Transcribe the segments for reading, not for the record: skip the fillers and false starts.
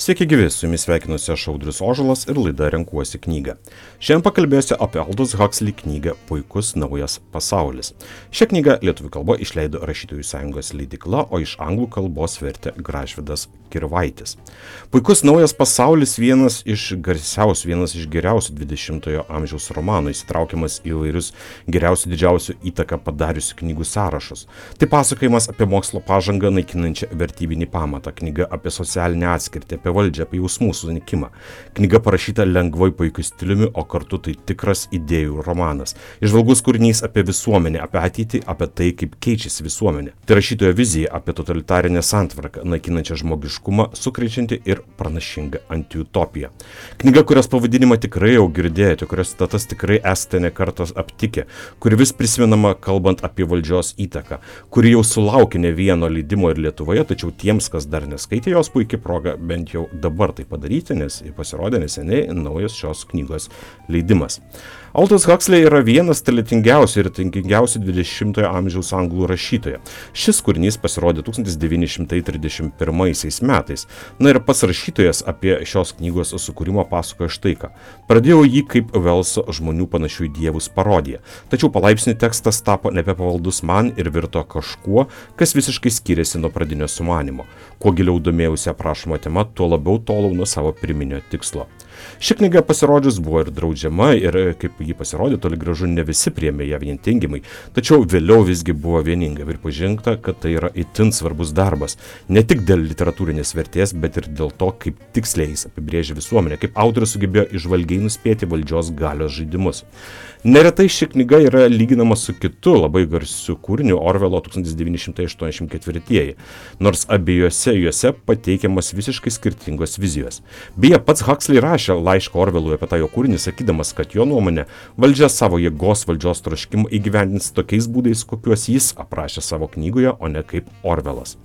Sveiki gyvi, su jumis sveikinuosi aš Audrius Ožalas ir laida Renkuosi knygą. Šiandien pakalbėsiu apie Aldous Huxley knygą Puikus naujas pasaulis. Šią knygą lietuvių kalba išleido Rašytojų sąjungos leidykla, o iš anglų kalbos vertė Gražvydas Kirvaitis. Puikus naujas pasaulis vienas iš geriausių 20-ojo amžiaus romanų, įsitraukiamas į įvairius geriausių didžiausių įtaką padariusių knygų sąrašus. Tai pasakojimas apie mokslo pažangą naikinančią vertybinį pamatą, knyga apie socialinę atskirtį, apie valdžią, apie jausmų sunikimą. Knyga parašyta lengvai puikiu stiliumi, o kartu tai tikras idėjų romanas. Įžvalgus kūrinys apie visuomenę, apie ateitį, apie tai, kaip keičiasi visuomenė. Tai rašytojo vizija apie totalitarinę santvarką, naikinančią žmogiškumą, sukrečianti ir pranašinga antiutopiją. Knyga, kurios pavadinimą tikrai jau girdėjote, kurios citatas tikrai esate ne kartą aptikę, kuri vis prisimenama kalbant apie valdžios įtaką, kuri jau sulaukė ne vieno leidimo ir Lietuvoje, tačiau tiems, kas dar neskaitė jos, puikiai proga bent jau dabar tai padaryti, nes pasirodė neseniai naujas šios knygos leidimas. Aldous Huxley yra vienas talentingiausių ir tingingiausių 20-ojo amžiaus anglų rašytojų. Šis kūrinys pasirodė 1931 metais. Na ir pats rašytojas apie šios knygos sukūrimo pasakoja štai ką. Pradėjau jį kaip Velso žmonių panašių į dievus parodiją. Tačiau palaipsniui tekstas tapo nebepavaldus man ir virto kažkuo, kas visiškai skiriasi nuo pradinio sumanimo. Kuo giliau domėjausi aprašoma tema, tuo labiau tolau nuo savo pirminio tikslo. Ši knyga pasirodžius buvo ir draudžiama ir kaip ji pasirodė, toli gražu ne visi priėmė ją vien teigiamai, tačiau vėliau visgi buvo vieninga ir pažengta, kad tai yra itin svarbus darbas, ne tik dėl literatūrinės vertės, bet ir dėl to, kaip tiksliai jis apibrėžia visuomenę, kaip autorius sugebėjo įžvalgiai nuspėti valdžios galios žaidimus. Neretai ši knyga yra lyginama su kitu labai garsiu kūriniu Orvelo 1984, nors abiejose juose pateikiamas visiškai skirtingos vizijos. Beje, pats Huxley rašė laišką Orvelui apie tą jo kūrinį, sakydamas, kad jo nuomonė valdžia savo jėgos valdžios troškimą įgyvendins tokiais būdais, kokiuos jis aprašė savo knygoje, o ne kaip Orvelas.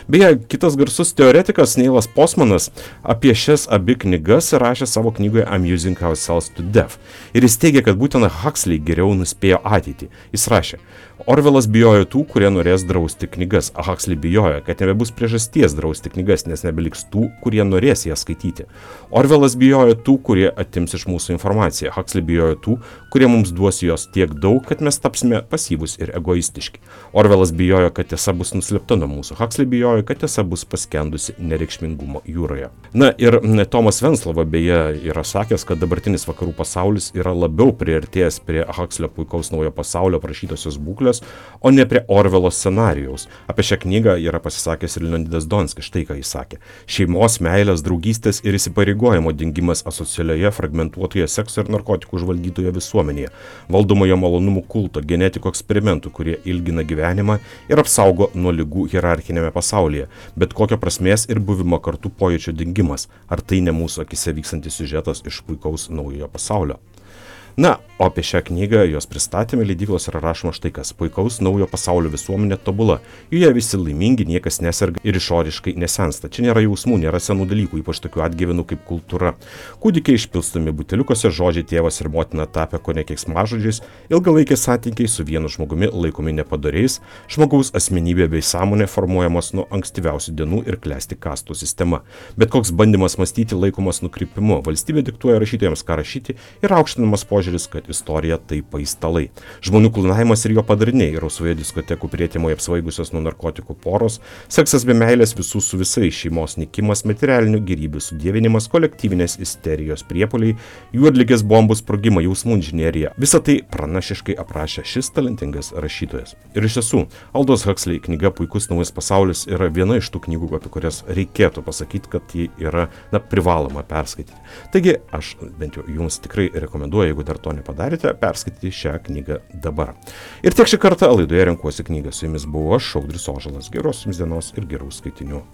Beje, kitas garsus teoretikas Neilas Postmanas apie šias abi knygas rašė savo knygoje Amusing Ourselves to Death. Ir jis teigia, kad būtent Huxley geriau nuspėjo ateitį. Jis rašė, Orvelas bijojo tų, kurie norės drausti knygas, o Huxley bijojo, kad nebebus priežasties drausti knygas, nes nebeliks tų, kurie norės jas skaityti. Orvelas bijojo tų, kurie atims iš mūsų informaciją. Huxley bijojo tų, kurie mums duos jos tiek daug, kad mes tapsime pasyvūs ir egoistiški. Orvelas bijojo, kad tiesa bus nuslėpta nuo mūsų. Huxley bijojo, kad tiesa bus paskendusi nereikšmingumo jūroje. Na ir Tomas Venclova beje yra sakęs, kad dabartinis vakarų pasaulis yra labiau priartėjęs prie Huxley Puikaus naujo pasaulio aprašytosios būklės, o ne prie Orvelo scenarijaus. Apie šią knygą yra pasisakęs ir Leonidas Donskis, štai ką jis sakė. Šeimos, meilės, draugystės ir įsipareigojimo dingimas asocialioje, fragmentuotoje sekso ir narkotikų užvaldytoje visuomenėje, valdomojo malonumų kulto, genetikų eksperimentų, kurie ilgina gyvenimą ir apsaugo nuo ligų hierarchinėme pasaulyje, bet kokio prasmės ir buvimo kartu pojūčio dingimas. Ar tai ne mūsų akise vykstantis siužetas iš Puikaus naujojo pasaulio? Na, o apie šią knygą, jos pristatymą leidyklos yra rašoma štai kas. Puikaus naujo pasaulio visuomenė tobula. Joje visi laimingi, niekas neserga ir išoriškai nesensta. Čia nėra jausmų, nėra senų dalykų, ypač tokių atgyvenų kaip kultūra. Kūdikiai išpilstomi buteliukuose, žodžiai tėvas ir motina tapę kone keiksmažodžiais, ilgalaikiai santykiai su vienu žmogumi laikomi nepadoriais, žmogaus asmenybė bei sąmonė formuojamos nuo ankstyviausių dienų ir klesti kastų sistema. Bet koks bandymas mąstyti laikomas nukrypimu, valstybė diktuoja rašytojams ką rašyti ir aukštinamas požiūris, kad istorija tai paistalai. Žmonių klonavimas ir jo padariniai, rausvoje diskotekų prietemoje apsvaigusios nuo narkotikų poros, seksas be meilės visų su visais, šeimos nykimas, materialinių gėrybių sudievinimas, kolektyvinės isterijos priepuoliai, juodligės bombų sprogimai, jausmų inžinerija. Visą tai pranašiškai aprašė šis talentingas rašytojas. Ir iš tiesų, Aldous Huxley knyga Puikus naujas pasaulis yra viena iš tų knygų, apie kurias reikėtų pasakyti, kad ji yra privaloma perskaityti. Taigi, aš bent jau jums tikrai rekomenduoju, jeigu dar to nepadarėte, perskaityti šią knygą dabar. Ir tiek šį kartą laidoje Renkuosi knygą. Su jumis buvo aš, Audrius Ožalas. Geros jums dienos ir gerų skaitinių.